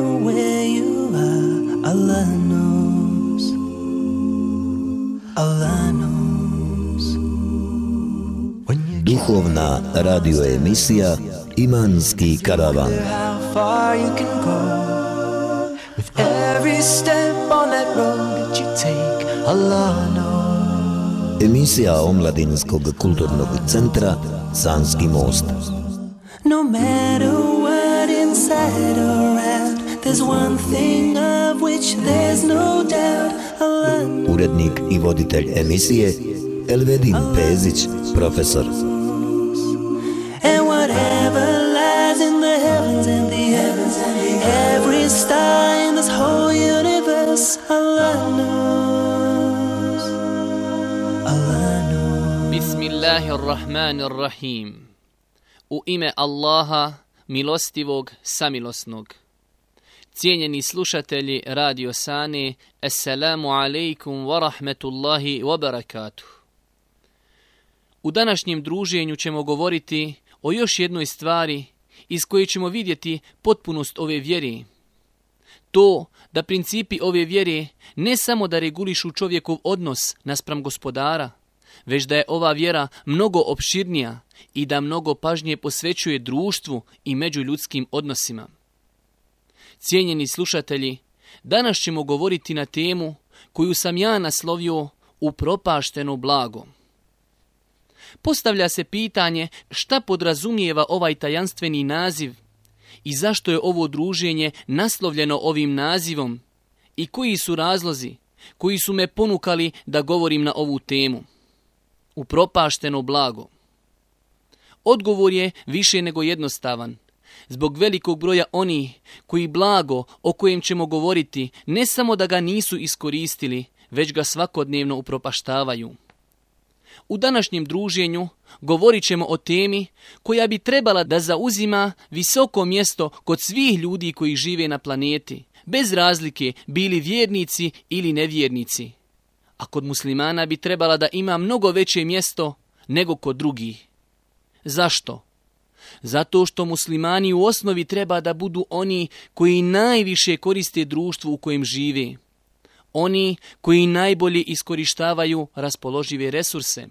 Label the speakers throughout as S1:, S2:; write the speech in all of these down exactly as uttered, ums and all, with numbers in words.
S1: matter where you are, Allah knows. Allah knows.
S2: Duhovna radio emisija Imanski karavan.
S1: How far you can go with every step on that road that you take, Allah knows.
S2: Emisija Omladinskog kulturnog centra Sanski most.
S1: No matter what inside or out, there's one thing of which there's no doubt, Allah knows.
S2: Urednik i voditelj emisije Elvedin Pezić, profesor.
S1: And whatever lies in the heavens and the heavens and the every star in this whole universe, Allah knows. Allah knows.
S3: Bismillahirrahmanirrahim. U ime Allaha, milostivog, samilosnog. Cijenjeni slušatelji Radio Sane, assalamu alaikum wa rahmetullahi wa barakatuh. U današnjem druženju ćemo govoriti o još jednoj stvari iz koje ćemo vidjeti potpunost ove vjere. To da principi ove vjere ne samo da regulišu čovjekov odnos naspram gospodara, već da je ova vjera mnogo opširnija i da mnogo pažnje posvećuje društvu i međuljudskim odnosima. Cijenjeni slušatelji, danas ćemo govoriti na temu koju sam ja naslovio upropašteno blago. Postavlja se pitanje šta podrazumijeva ovaj tajanstveni naziv i zašto je ovo druženje naslovljeno ovim nazivom i koji su razlozi koji su me ponukali da govorim na ovu temu. Upropašteno blago. Odgovor je više nego jednostavan. Zbog velikog broja onih koji blago o kojem ćemo govoriti ne samo da ga nisu iskoristili, već ga svakodnevno upropaštavaju. U današnjem druženju govorit ćemo o temi koja bi trebala da zauzima visoko mjesto kod svih ljudi koji žive na planeti, bez razlike bili vjernici ili nevjernici. A kod muslimana bi trebala da ima mnogo veće mjesto nego kod drugih. Zašto? Zato što muslimani u osnovi treba da budu oni koji najviše koriste društvu u kojem žive. Oni koji najbolje iskorištavaju raspoložive resurse.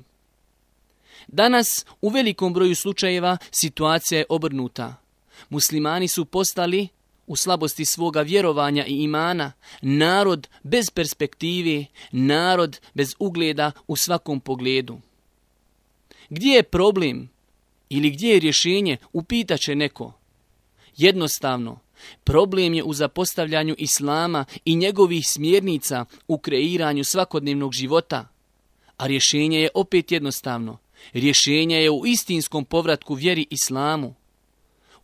S3: Danas u velikom broju slučajeva situacija je obrnuta. Muslimani su postali, u slabosti svoga vjerovanja i imana, narod bez perspektive, narod bez ugleda u svakom pogledu. Gdje je problem ili gdje je rješenje, upitaće neko. Jednostavno, problem je u zapostavljanju islama i njegovih smjernica u kreiranju svakodnevnog života. A rješenje je opet jednostavno. Rješenje je u istinskom povratku vjeri islamu.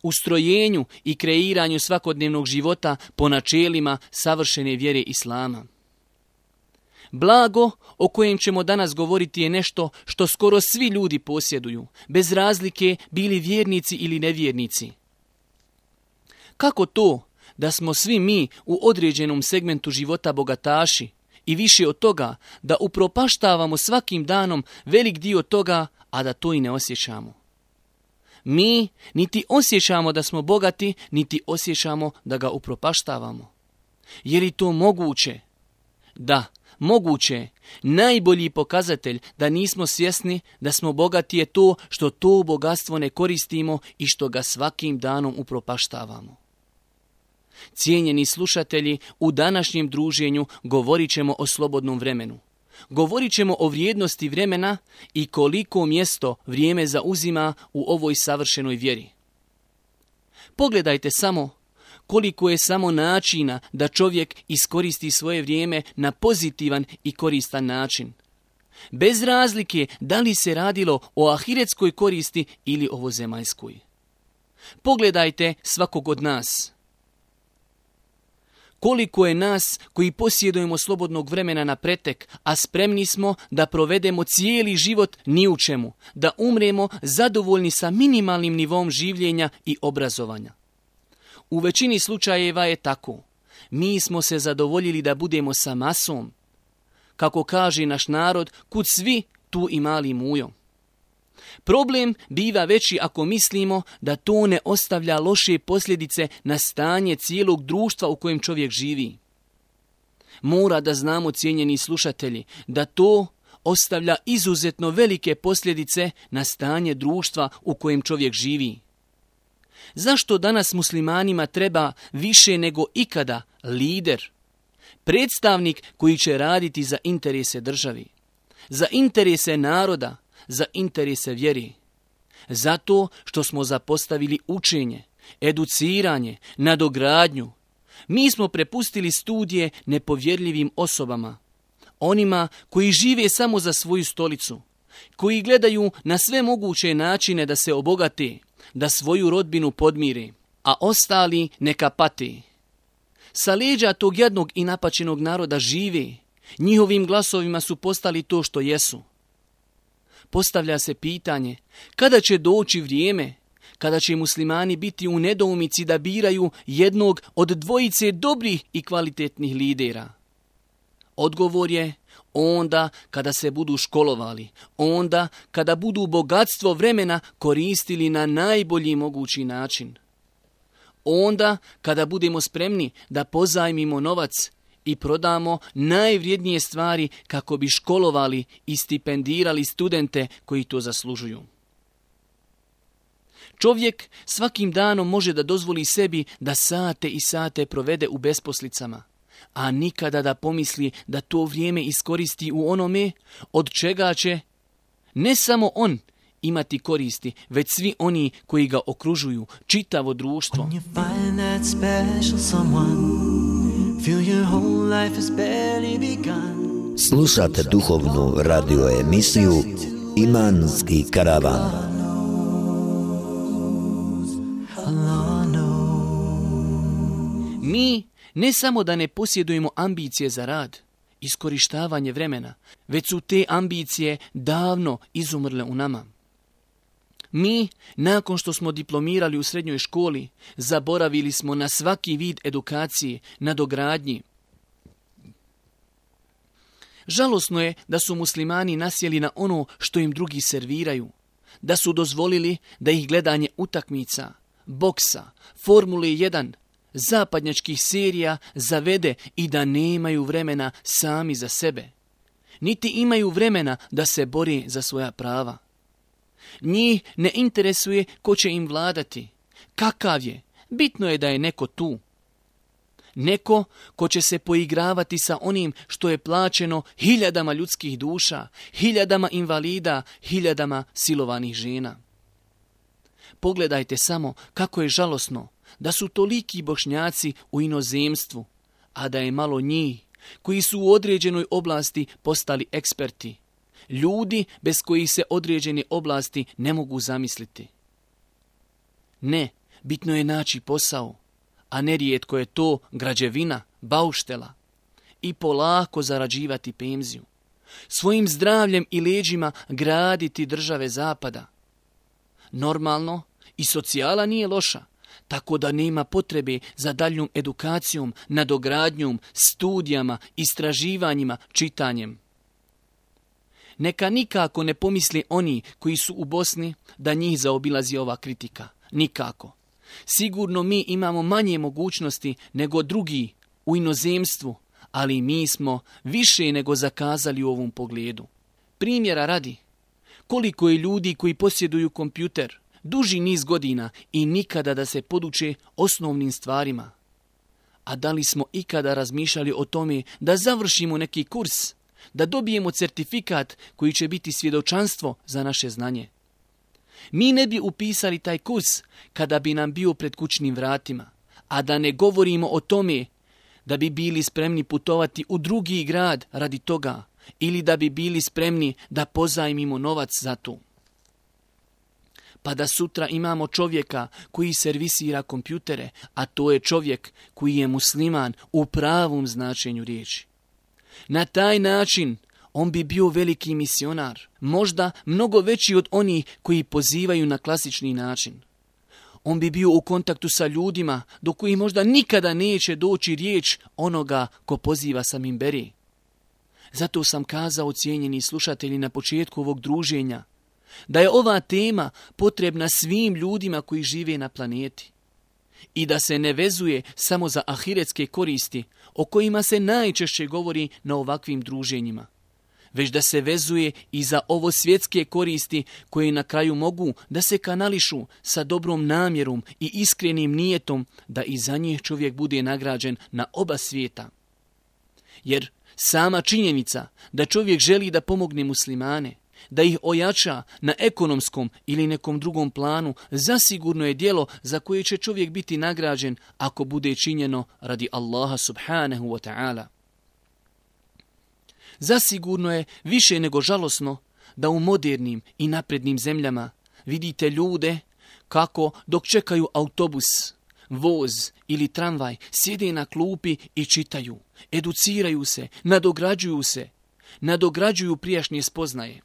S3: U strojenju i kreiranju svakodnevnog života po načelima savršene vjere islama. Blago o kojem ćemo danas govoriti je nešto što skoro svi ljudi posjeduju, bez razlike bili vjernici ili nevjernici. Kako to da smo svi mi u određenom segmentu života bogataši i više od toga da upropaštavamo svakim danom velik dio toga, a da to i ne osjećamo? Mi niti osjećamo da smo bogati, niti osjećamo da ga upropaštavamo. Je li to moguće? Da, moguće. Najbolji pokazatelj da nismo svjesni da smo bogati je to što to bogatstvo ne koristimo i što ga svakim danom upropaštavamo. Cijenjeni slušatelji, u današnjem druženju govorit ćemo o slobodnom vremenu. Govorit ćemo o vrijednosti vremena i koliko mjesto vrijeme zauzima u ovoj savršenoj vjeri. Pogledajte samo koliko je samo načina da čovjek iskoristi svoje vrijeme na pozitivan i koristan način. Bez razlike da li se radilo o ahiretskoj koristi ili ovozemaljskoj. Pogledajte svakog od nas. Koliko je nas koji posjedujemo slobodnog vremena na pretek, a spremni smo da provedemo cijeli život ni u čemu, da umremo zadovoljni sa minimalnim nivom življenja i obrazovanja. U većini slučajeva je tako. Mi smo se zadovoljili da budemo sa masom. Kako kaže naš narod, kud svi, tu i mali mujo. Problem biva veći ako mislimo da to ne ostavlja loše posljedice na stanje cijelog društva u kojem čovjek živi. Mora da znamo, cijenjeni slušatelji, da to ostavlja izuzetno velike posljedice na stanje društva u kojem čovjek živi. Zašto danas muslimanima treba više nego ikada lider, predstavnik koji će raditi za interese državi, za interese naroda, za interese vjeri? Zato što smo zapostavili učenje, educiranje, nadogradnju. Mi smo prepustili studije nepovjerljivim osobama, onima koji žive samo za svoju stolicu, koji gledaju na sve moguće načine da se obogate, da svoju rodbinu podmire, a ostali neka pate. Sa leđa tog jadnog i napačenog naroda žive, njihovim glasovima su postali to što jesu. Postavlja se pitanje, kada će doći vrijeme, kada će muslimani biti u nedoumici da biraju jednog od dvojice dobrih i kvalitetnih lidera? Odgovor je onda kada se budu školovali, onda kada budu bogatstvo vremena koristili na najbolji mogući način. Onda kada budemo spremni da pozajmimo novac i prodamo najvrijednije stvari kako bi školovali i stipendirali studente koji to zaslužuju. Čovjek svakim danom može da dozvoli sebi da sate i sate provede u besposlicama, a nikada da pomisli da to vrijeme iskoristi u onome od čega će ne samo on imati koristi, već svi oni koji ga okružuju, čitavo društvo.
S2: Slušate duhovnu radio emisiju Imanski karavan.
S3: Mi ne samo da ne posjedujemo ambicije za rad, iskorištavanje vremena, već su te ambicije davno izumrle u nama. Mi, nakon što smo diplomirali u srednjoj školi, zaboravili smo na svaki vid edukacije, nadogradnji. Žalosno je da su muslimani nasjeli na ono što im drugi serviraju, da su dozvolili da ih gledanje utakmica, boksa, Formule jedan, zapadnjačkih serija zavede i da nemaju vremena sami za sebe. Niti imaju vremena da se bore za svoja prava. Njih ne interesuje ko će im vladati, kakav je, bitno je da je neko tu. Neko ko će se poigravati sa onim što je plaćeno hiljadama ljudskih duša, hiljadama invalida, hiljadama silovanih žena. Pogledajte samo kako je žalosno da su toliki Bošnjaci u inozemstvu, a da je malo njih koji su u određenoj oblasti postali eksperti. Ljudi bez kojih se određene oblasti ne mogu zamisliti. Ne, bitno je naći posao, a nerijetko je to građevina, bauštela, i polako zarađivati penziju. Svojim zdravljem i leđima graditi države zapada. Normalno, i socijala nije loša, tako da nema potrebe za daljnjom edukacijom, nadogradnjom, studijama, istraživanjima, čitanjem. Neka nikako ne pomisli oni koji su u Bosni da njih zaobilazi ova kritika. Nikako. Sigurno mi imamo manje mogućnosti nego drugi u inozemstvu, ali mi smo više nego zakazali u ovom pogledu. Primjera radi, koliko je ljudi koji posjeduju kompjuter duži niz godina i nikada da se poduče osnovnim stvarima. A da li smo ikada razmišljali o tome da završimo neki kurs, da dobijemo certifikat koji će biti svjedočanstvo za naše znanje? Mi ne bi upisali taj kurs kada bi nam bio pred kućnim vratima, a da ne govorimo o tome da bi bili spremni putovati u drugi grad radi toga ili da bi bili spremni da pozajmimo novac za to. Pa da sutra imamo čovjeka koji servisira kompjutere, a to je čovjek koji je musliman u pravom značenju riječi. Na taj način on bi bio veliki misionar, možda mnogo veći od onih koji pozivaju na klasični način. On bi bio u kontaktu sa ljudima do kojih možda nikada neće doći riječ onoga ko poziva sa minberi. Zato sam kazao, cijenjeni slušatelji, na početku ovog druženja, da je ova tema potrebna svim ljudima koji žive na planeti i da se ne vezuje samo za ahiretske koristi o kojima se najčešće govori na ovakvim druženjima, već da se vezuje i za ovo svjetske koristi koje na kraju mogu da se kanališu sa dobrom namjerom i iskrenim nijetom da i za njih čovjek bude nagrađen na oba svijeta. Jer sama činjenica da čovjek želi da pomogne muslimane, da ih ojača na ekonomskom ili nekom drugom planu, zasigurno je djelo za koje će čovjek biti nagrađen ako bude činjeno radi Allaha subhanahu wa ta'ala. Zasigurno je više nego žalosno da u modernim i naprednim zemljama vidite ljude kako dok čekaju autobus, voz ili tramvaj sjede na klupi i čitaju, educiraju se, nadograđuju se, nadograđuju prijašnje spoznaje.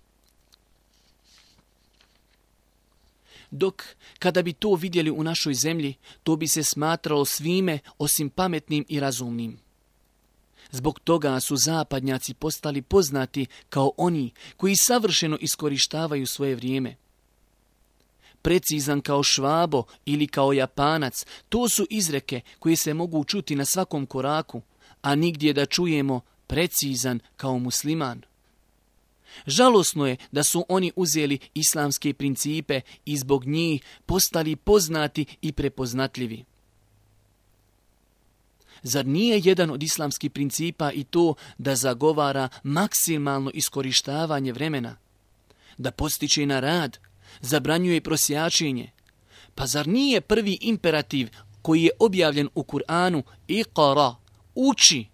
S3: Dok kada bi to vidjeli u našoj zemlji, to bi se smatralo svime osim pametnim i razumnim. Zbog toga su zapadnjaci postali poznati kao oni koji savršeno iskorištavaju svoje vrijeme. Precizan kao Švabo ili kao Japanac, to su izreke koje se mogu čuti na svakom koraku, a nigdje da čujemo precizan kao musliman. Žalosno je da su oni uzeli islamske principe i zbog njih postali poznati i prepoznatljivi. Zar nije jedan od islamskih principa i to da zagovara maksimalno iskorištavanje vremena, da postiče na rad, zabranjuje prosjačenje? Pa zar nije prvi imperativ koji je objavljen u Kur'anu Iqra, uči?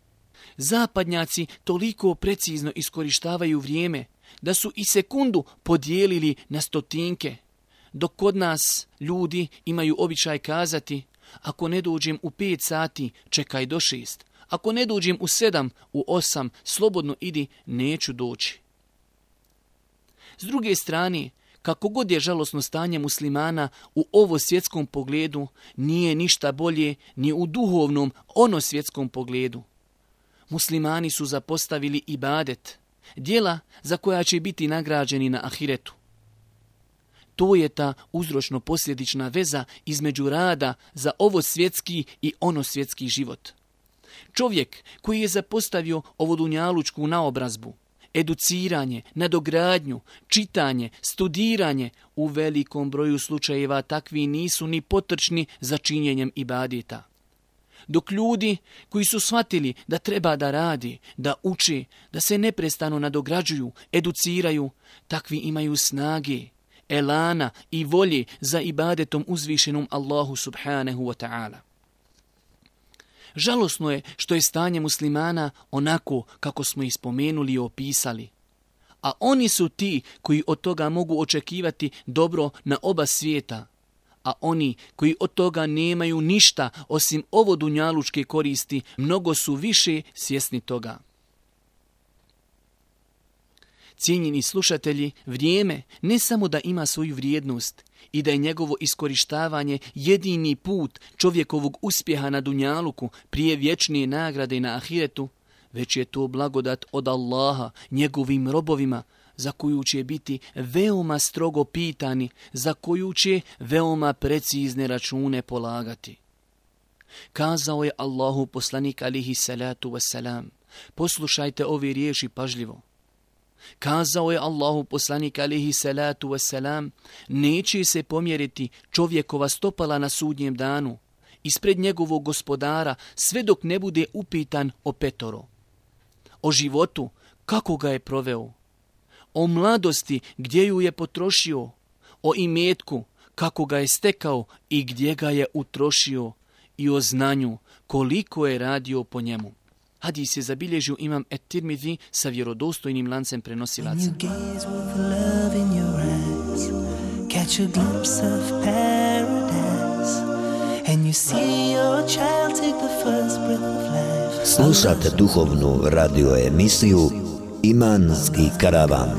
S3: Zapadnjaci toliko precizno iskorištavaju vrijeme da su i sekundu podijelili na stotinke, dok kod nas ljudi imaju običaj kazati: ako ne dođem u pet sati, čekaj do šest. Ako ne dođem u sedam, u osam, slobodno idi, neću doći. S druge strane, kako god je žalosno stanje muslimana u ovo svjetskom pogledu, nije ništa bolje ni u duhovnom ono svjetskom pogledu. Muslimani su zapostavili ibadet, djela za koja će biti nagrađeni na ahiretu. To je ta uzročno-posljedična veza između rada za ovo svjetski i ono svjetski život. Čovjek koji je zapostavio ovu dunjalučku naobrazbu, educiranje, nadogradnju, čitanje, studiranje, u velikom broju slučajeva takvi nisu ni potrčni za činjenjem ibadeta. Dok ljudi koji su shvatili da treba da radi, da uče, da se neprestano nadograđuju, educiraju, takvi imaju snage, elana i volje za ibadetom uzvišenom Allahu subhanahu wa ta'ala. Žalosno je što je stanje muslimana onako kako smo ih spomenuli i opisali. A oni su ti koji od toga mogu očekivati dobro na oba svijeta. A oni koji od toga nemaju ništa osim ovo dunjalučke koristi, mnogo su više svjesni toga. Cijenjeni slušatelji, vrijeme ne samo da ima svoju vrijednost i da je njegovo iskorištavanje jedini put čovjekovog uspjeha na dunjaluku prije vječnije nagrade na ahiretu, već je to blagodat od Allaha njegovim robovima, za koju će biti veoma strogo pitani, za koju će veoma precizne račune polagati. Kazao je Allahu poslanik alihi salatu wassalam, poslušajte ove riječi pažljivo. Kazao je Allahu poslanik alihi salatu wassalam, neće se pomjeriti čovjekova stopala na sudnjem danu ispred njegovog gospodara sve dok ne bude upitan o petoro. O životu, kako ga je proveo, o mladosti, gdje ju je potrošio, o imetku, kako ga je stekao i gdje ga je utrošio, i o znanju, koliko je radio po njemu. Hadis je zabilježio imam Et-Tirmidhi sa vjerodostojnim lancem prenosilaca.
S2: Slušate duhovnu radio emisiju Imanski karavan.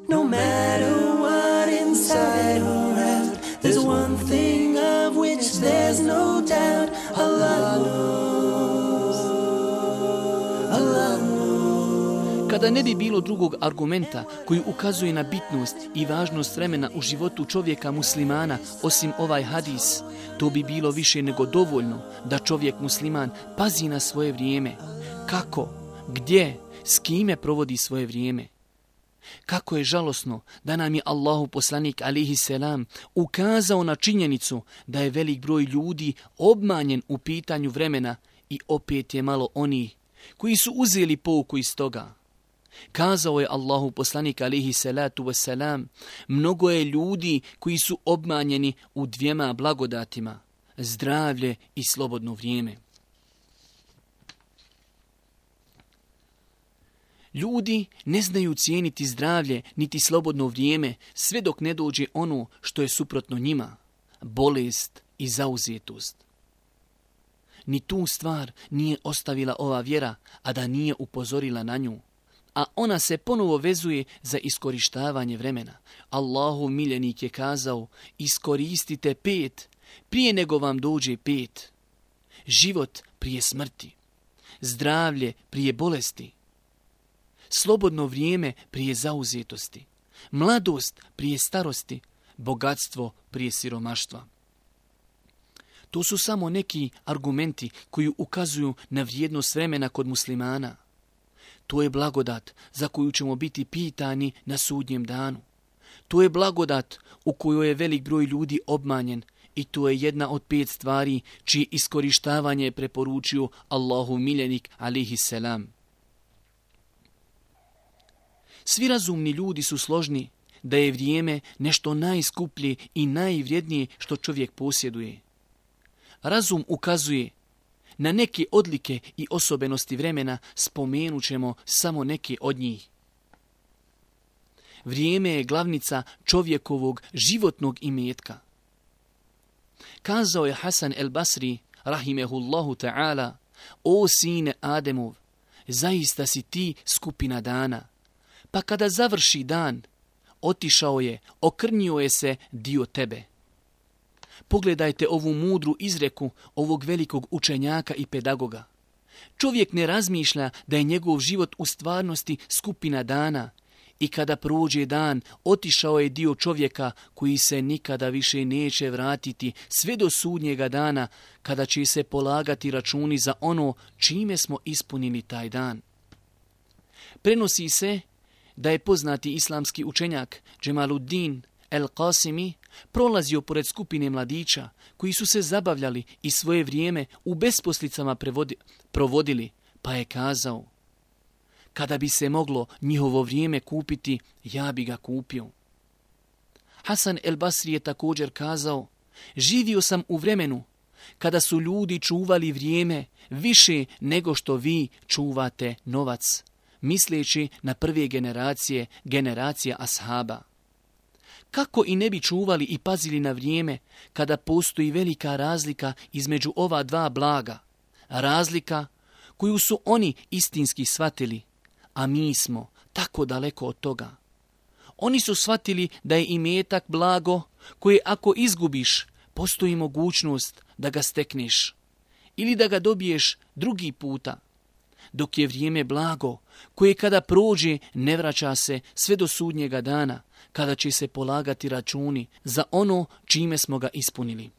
S1: No matter what inside or out, there's one thing of which there's no doubt. Allah knows. Allah knows.
S3: Kada ne bi bilo drugog argumenta koji ukazuje na bitnost i važnost vremena u životu čovjeka muslimana osim ovaj hadis, to bi bilo više nego dovoljno da čovjek musliman pazi na svoje vrijeme. Kako, gdje, s kime provodi svoje vrijeme. Kako je žalosno da nam je Allahu poslanik alihi selam ukazao na činjenicu da je velik broj ljudi obmanjen u pitanju vremena i opet je malo onih koji su uzeli pouku iz toga. Kazao je Allahu poslanik alihi salatu wasalam, mnogo je ljudi koji su obmanjeni u dvijema blagodatima, zdravlje i slobodno vrijeme. Ljudi ne znaju cijeniti zdravlje niti slobodno vrijeme sve dok ne dođe ono što je suprotno njima, bolest i zauzetost. Ni tu stvar nije ostavila ova vjera, a da nije upozorila na nju. A ona se ponovo vezuje za iskorištavanje vremena. Allahov miljenik je kazao, iskoristite pet prije nego vam dođe pet. Život prije smrti, zdravlje prije bolesti, slobodno vrijeme prije zauzetosti, mladost prije starosti, bogatstvo prije siromaštva. To su samo neki argumenti koji ukazuju na vrijednost vremena kod muslimana. To je blagodat za koju ćemo biti pitani na sudnjem danu. To je blagodat u kojoj je velik broj ljudi obmanjen i to je jedna od pet stvari čije iskorištavanje je preporučio Allahu miljenik alihi selam. Svi razumni ljudi su složni da je vrijeme nešto najskuplje i najvrijednije što čovjek posjeduje. Razum ukazuje na neke odlike i osobenosti vremena, spomenut ćemo samo neke od njih. Vrijeme je glavnica čovjekovog životnog imetka. Kazao je Hasan el Basri, rahimehullahu ta'ala, o sine Ademov, zaista si ti skupina dana. Pa kada završi dan, otišao je, okrnjio je se dio tebe. Pogledajte ovu mudru izreku ovog velikog učenjaka i pedagoga. Čovjek ne razmišlja da je njegov život u stvarnosti skupina dana i kada prođe dan, otišao je dio čovjeka koji se nikada više neće vratiti sve do sudnjega dana kada će se polagati računi za ono čime smo ispunili taj dan. Prenosi se da je poznati islamski učenjak Džemaluddin el-Qasimi prolazio pored skupine mladića koji su se zabavljali i svoje vrijeme u besposlicama prevodi, provodili, pa je kazao, kada bi se moglo njihovo vrijeme kupiti, ja bi ga kupio. Hasan el Basri je također kazao, živio sam u vremenu kada su ljudi čuvali vrijeme više nego što vi čuvate novac, misleći na prve generacije, generacija ashaba. Kako i ne bi čuvali i pazili na vrijeme kada postoji velika razlika između ova dva blaga, razlika koju su oni istinski shvatili, a mi smo tako daleko od toga. Oni su shvatili da je imetak blago koje ako izgubiš, postoji mogućnost da ga stekneš ili da ga dobiješ drugi puta, dok je vrijeme blago koje kada prođe ne vraća se sve do sudnjega dana, kada će se polagati računi za ono čime smo ga ispunili.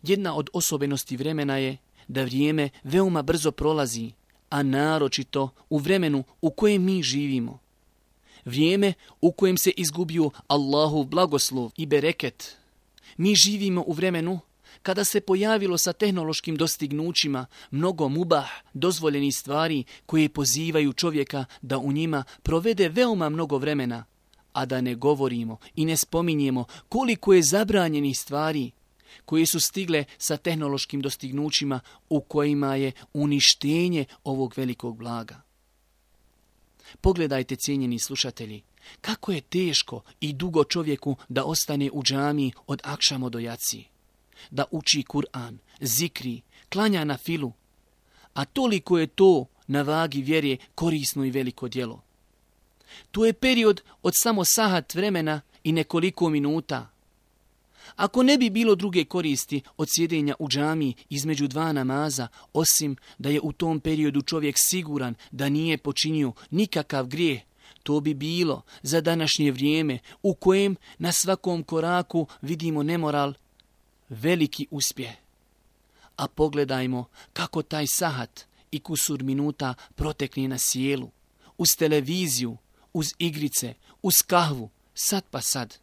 S3: Jedna od osobenosti vremena je da vrijeme veoma brzo prolazi, a naročito u vremenu u kojem mi živimo. Vrijeme u kojem se izgubio Allahov blagoslov i bereket. Mi živimo u vremenu kada se pojavilo sa tehnološkim dostignućima mnogo mubah, dozvoljenih stvari koje pozivaju čovjeka da u njima provede veoma mnogo vremena, a da ne govorimo i ne spominjemo koliko je zabranjenih stvari koje su stigle sa tehnološkim dostignućima u kojima je uništenje ovog velikog blaga. Pogledajte, cijenjeni slušatelji, kako je teško i dugo čovjeku da ostane u džamiji od akšama do jaci, da uči Kur'an, zikri, klanja na filu, a toliko je to na vagi vjere korisno i veliko djelo. To je period od samo sahat vremena i nekoliko minuta, Ako ne bi bilo druge koristi od sjedenja u džamiji između dva namaza, osim da je u tom periodu čovjek siguran da nije počinio nikakav grijeh, to bi bilo za današnje vrijeme u kojem na svakom koraku vidimo nemoral, veliki uspjeh. A pogledajmo kako taj sahat i kusur minuta protekne na sjelu, uz televiziju, uz igrice, uz kahvu, sad pa sad.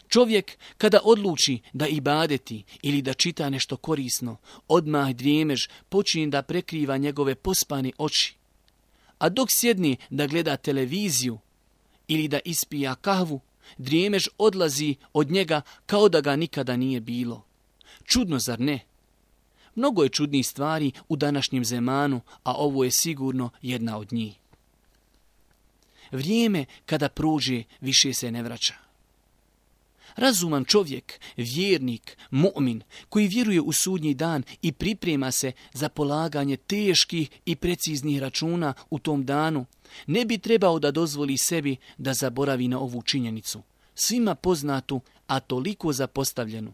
S3: Čovjek kada odluči da ibadeti ili da čita nešto korisno, odmah drijemež počinje da prekriva njegove pospane oči. A dok sjedni da gleda televiziju ili da ispija kahvu, drijemež odlazi od njega kao da ga nikada nije bilo. Čudno, zar ne? Mnogo je čudnih stvari u današnjem zemanu, a ovo je sigurno jedna od njih. Vrijeme kada prođe više se ne vraća. Razuman čovjek, vjernik, mu'min, koji vjeruje u sudnji dan i priprema se za polaganje teških i preciznih računa u tom danu, ne bi trebao da dozvoli sebi da zaboravi na ovu činjenicu, svima poznatu, a toliko zapostavljenu.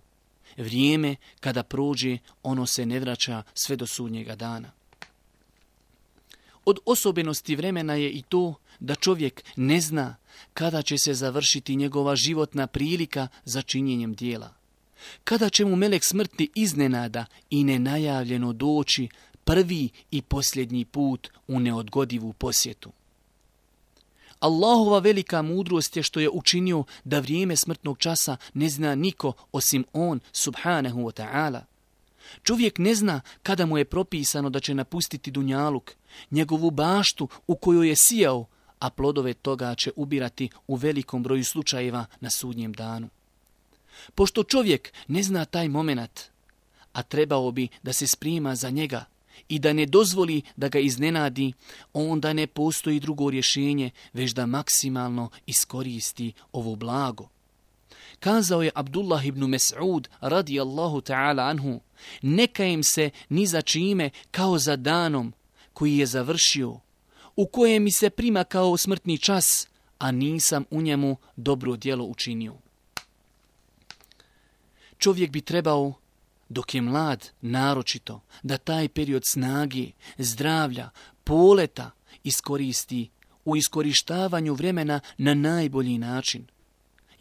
S3: Vrijeme kada prođe, ono se ne vraća sve do sudnjega dana. Od osobenosti vremena je i to da čovjek ne zna kada će se završiti njegova životna prilika za činjenjem dijela. Kada će mu melek smrti iznenada i nenajavljeno doći prvi i posljednji put u neodgodivu posjetu. Allahova velika mudrost je što je učinio da vrijeme smrtnog časa ne zna niko osim on, subhanahu wa ta'ala. Čovjek ne zna kada mu je propisano da će napustiti dunjaluk, njegovu baštu u kojoj je sijao, a plodove toga će ubirati u velikom broju slučajeva na sudnjem danu. Pošto čovjek ne zna taj moment, a trebao bi da se sprema za njega i da ne dozvoli da ga iznenadi, onda ne postoji drugo rješenje, već da maksimalno iskoristi ovo blago. Kazao je Abdullah ibn Mes'ud radijallahu ta'ala anhu, ne kajem se ni za čime kao za danom koji je završio, u kojem mi se prima kao smrtni čas, a nisam u njemu dobro djelo učinio. Čovjek bi trebao, dok je mlad, naročito, da taj period snage, zdravlja, poleta iskoristi u iskorištavanju vremena na najbolji način.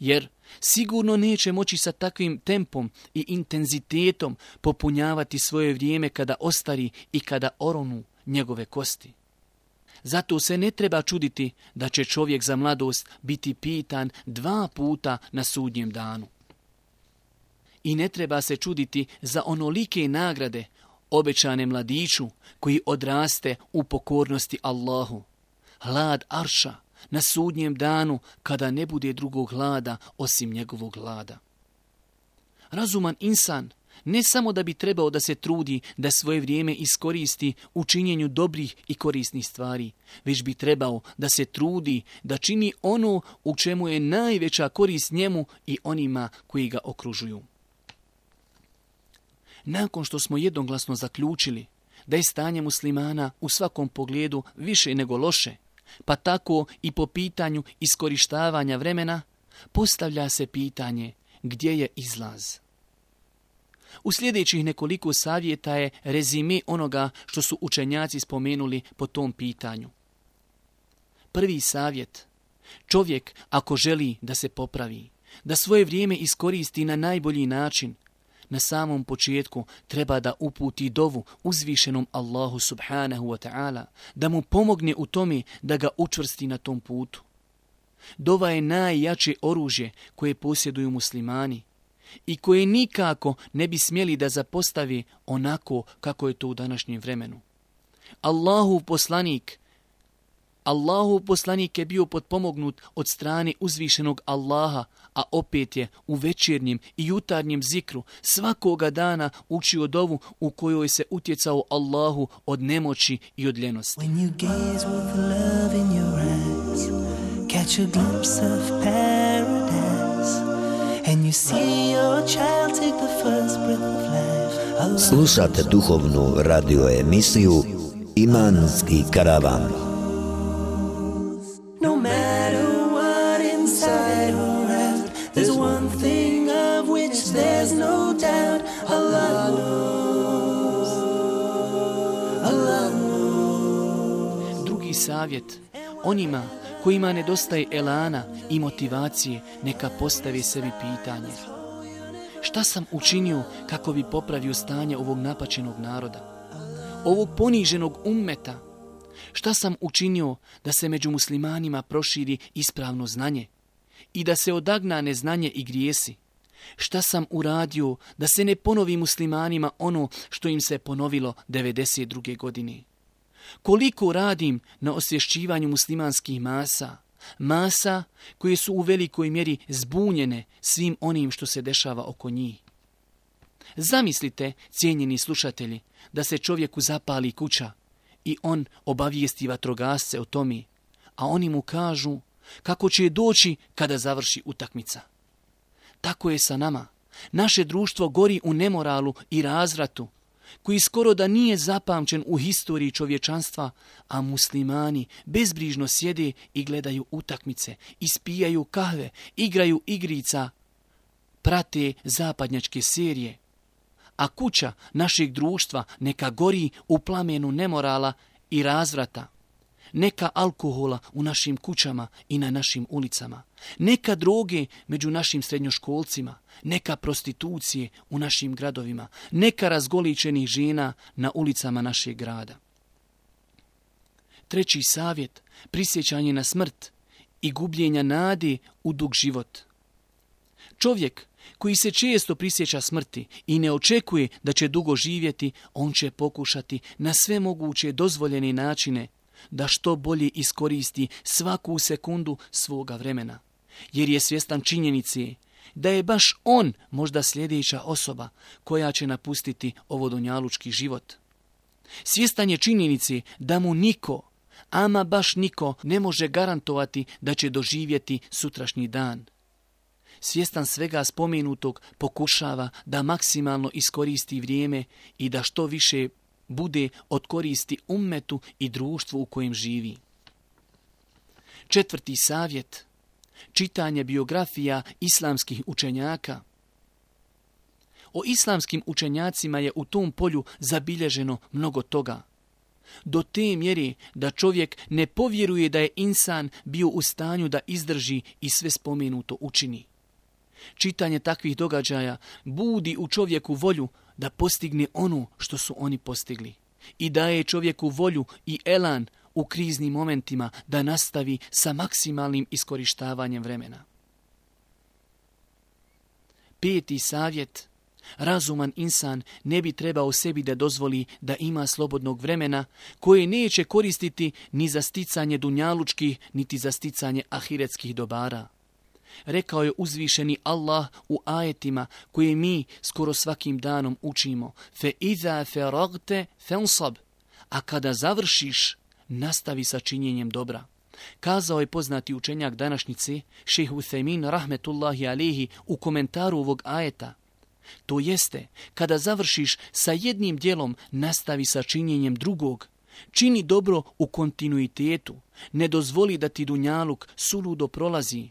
S3: Jer sigurno neće moći sa takvim tempom i intenzitetom popunjavati svoje vrijeme kada ostari i kada oronu njegove kosti. Zato se ne treba čuditi da će čovjek za mladost biti pitan dva puta na sudnjem danu. I ne treba se čuditi za onolike nagrade obećane mladiću koji odraste u pokornosti Allahu. Hlad arša na sudnjem danu kada ne bude drugog hlada osim njegovog hlada. Razuman insan ne samo da bi trebao da se trudi da svoje vrijeme iskoristi u činjenju dobrih i korisnih stvari, već bi trebao da se trudi da čini ono u čemu je najveća korist njemu i onima koji ga okružuju. Nakon što smo jednoglasno zaključili da je stanje muslimana u svakom pogledu više nego loše, pa tako i po pitanju iskorištavanja vremena, postavlja se pitanje gdje je izlaz. U sljedećih nekoliko savjeta je rezime onoga što su učenjaci spomenuli po tom pitanju. Prvi savjet. Čovjek ako želi da se popravi, da svoje vrijeme iskoristi na najbolji način, na samom početku treba da uputi dovu uzvišenom Allahu subhanahu wa ta'ala, da mu pomogne u tome da ga učvrsti na tom putu. Dova je najjače oružje koje posjeduju muslimani i koje nikako ne bi smjeli da zapostavi onako kako je to u današnjem vremenu. Allahov poslanik, Allahov poslanik je bio potpomognut od strane uzvišenog Allaha, a opet je u večernjem i jutarnjem zikru svakoga dana učio dovu u kojoj se utjecao Allahu od nemoći i od ljenosti.
S1: When you gaze with love in your eyes, catch a glimpse of paradise, and you see your child take the first breath of life. Allah.
S2: Slušate duhovnu radio emisiju Imanski karavan.
S1: No matter what inside or out, there's one thing of which
S3: savjet onima kojima nedostaje elana i motivacije, neka postave sebi pitanje: šta sam učinio kako bi popravio stanje ovog napaćenog naroda, ovog poniženog ummeta? Šta sam učinio da se među muslimanima proširi ispravno znanje i da se odagna neznanje i grijesi? Šta sam uradio da se ne ponovi muslimanima ono što im se ponovilo devedeset druge godine? Koliko radim na osvješćivanju muslimanskih masa, masa koje su u velikoj mjeri zbunjene svim onim što se dešava oko njih? Zamislite, cijenjeni slušatelji, da se čovjeku zapali kuća i on obavijesti vatrogasce o tome, a oni mu kažu kako će doći kada završi utakmica. Tako je sa nama. Naše društvo gori u nemoralu i razvratu, koji skoro da nije zapamćen u historiji čovječanstva, a muslimani bezbrižno sjede i gledaju utakmice, ispijaju kahve, igraju igrica, prate zapadnjačke serije. A kuća našeg društva neka gori u plamenu nemorala i razvrata. Neka alkohola u našim kućama i na našim ulicama. Neka droge među našim srednjoškolcima. Neka prostitucije u našim gradovima. Neka razgoličenih žena na ulicama našeg grada. Treći savjet, prisjećanje na smrt i gubljenja nade u dug život. Čovjek koji se često prisjeća smrti i ne očekuje da će dugo živjeti, on će pokušati na sve moguće dozvoljene načine da što bolje iskoristi svaku sekundu svoga vremena, jer je svjestan činjenice da je baš on možda sljedeća osoba koja će napustiti ovo dunjalučki život. Svjestan je činjenice da mu niko, ama baš niko, ne može garantovati da će doživjeti sutrašnji dan. Svjestan svega spomenutog, pokušava da maksimalno iskoristi vrijeme i da što više bude od koristi ummetu i društvu u kojem živi. Četvrti savjet, čitanje biografija islamskih učenjaka. O islamskim učenjacima je u tom polju zabilježeno mnogo toga. Do te mjere da čovjek ne povjeruje da je insan bio u stanju da izdrži i sve spomenuto učini. Čitanje takvih događaja budi u čovjeku volju da postigne ono što su oni postigli i daje čovjeku volju i elan u kriznim momentima da nastavi sa maksimalnim iskorištavanjem vremena. Peti savjet, razuman insan ne bi trebao sebi da dozvoli da ima slobodnog vremena koje neće koristiti ni za sticanje dunjalučkih, niti za sticanje ahiretskih dobara. Rekao je uzvišeni Allah u ajetima koje mi skoro svakim danom učimo: fe iza feragte fensab, a kada završiš, nastavi sa činjenjem dobra. Kazao je poznati učenjak današnjice, šejh Uthejmin rahmetullahi alihi, u komentaru ovog ajeta. To jeste, kada završiš sa jednim djelom, nastavi sa činjenjem drugog. Čini dobro u kontinuitetu, ne dozvoli da ti dunjaluk suludo prolazi.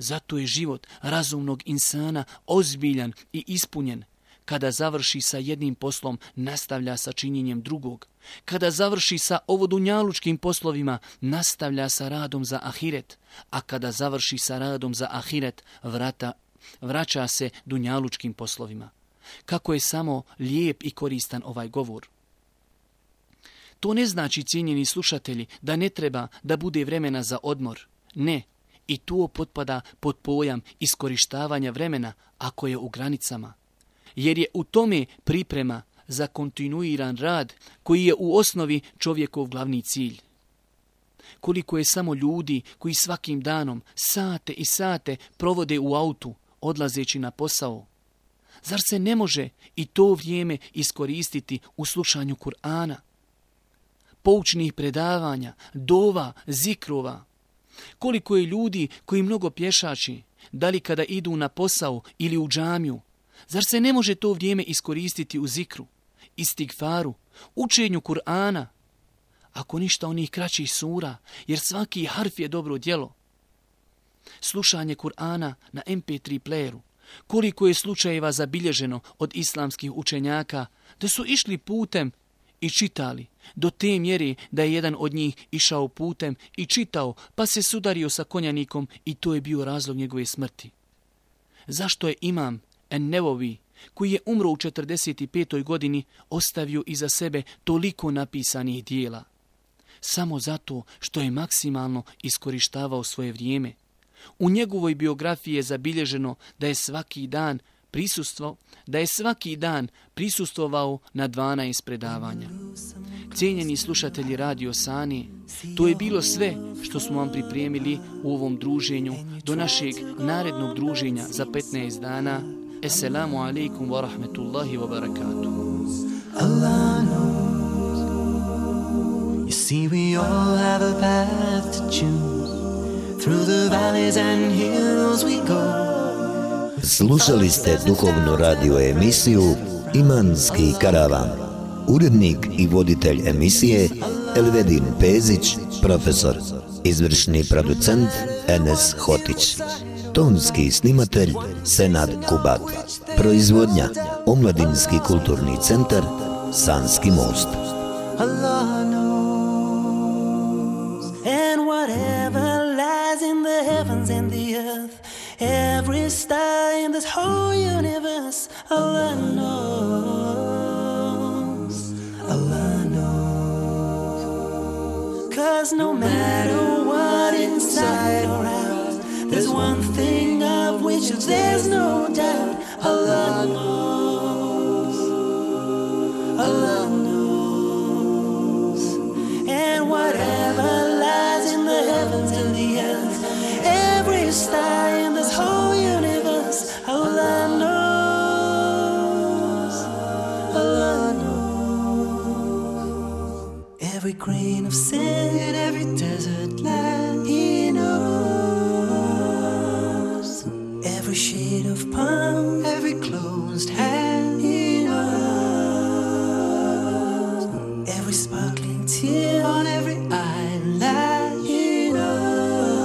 S3: Zato je život razumnog insana ozbiljan i ispunjen. Kada završi sa jednim poslom, nastavlja sa činjenjem drugog. Kada završi sa ovodunjalučkim poslovima, nastavlja sa radom za ahiret. A kada završi sa radom za ahiret, vrata, vraća se dunjalučkim poslovima. Kako je samo lijep i koristan ovaj govor. To ne znači, cijenjeni slušatelji, da ne treba da bude vremena za odmor. Ne. I to potpada pod pojam iskorištavanja vremena ako je u granicama. Jer je u tome priprema za kontinuiran rad koji je u osnovi čovjekov glavni cilj. Koliko je samo ljudi koji svakim danom sate i sate provode u autu odlazeći na posao. Zar se ne može i to vrijeme iskoristiti u slušanju Kur'ana, poučnih predavanja, dova, zikrova? Koliko je ljudi koji mnogo pješači, da li kada idu na posao ili u džamiju, zar se ne može to vrijeme iskoristiti u zikru, istigfaru, učenju Kur'ana, ako ništa onih kraćih sura, jer svaki harf je dobro djelo. Slušanje Kur'ana na em pe tri playeru, koliko je slučajeva zabilježeno od islamskih učenjaka da su išli putem i čitali, do te mjere da je jedan od njih išao putem i čitao, pa se sudario sa konjanikom i to je bio razlog njegove smrti. Zašto je imam En-Nevovi, koji je umro u četrdeset petoj godini, ostavio iza sebe toliko napisanih dijela? Samo zato što je maksimalno iskorištavao svoje vrijeme. U njegovoj biografiji je zabilježeno da je svaki dan prisustvo, da je svaki dan prisustvovao na dvanaest predavanja. Cijenjeni slušatelji Radio Sani, to je bilo sve što smo vam pripremili u ovom druženju do našeg narednog druženja za petnaest dana. Assalamu alaikum wa rahmetullahi wa barakatuh.
S1: Allah knows. You see, we all have a path to choose. Through the valleys and hills we go.
S2: Slušali ste duhovnu radio emisiju Imanski karavan. Urednik i voditelj emisije Elvedin Pezić, profesor. Izvršni producent Enes Hotić. Tonski snimatelj Senad Kubat. Proizvodnja Omladinski kulturni centar Sanski most.
S1: Allah knows. And whatever lies in the heavens and the earth, every star in this whole universe, Allah knows. Allah knows. 'Cause no matter what inside or out, there's one thing of which there's no doubt. Allah knows. Allah knows. And whatever lies in the heavens and the earth, every star in this whole universe, Allah knows. Allah knows. Every grain of sand in every desert land, He knows. Every shade of palm, every closed hand, He knows. Every sparkling tear on every eyelid, He knows.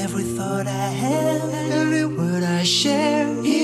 S1: Every thought I have, every word I share, He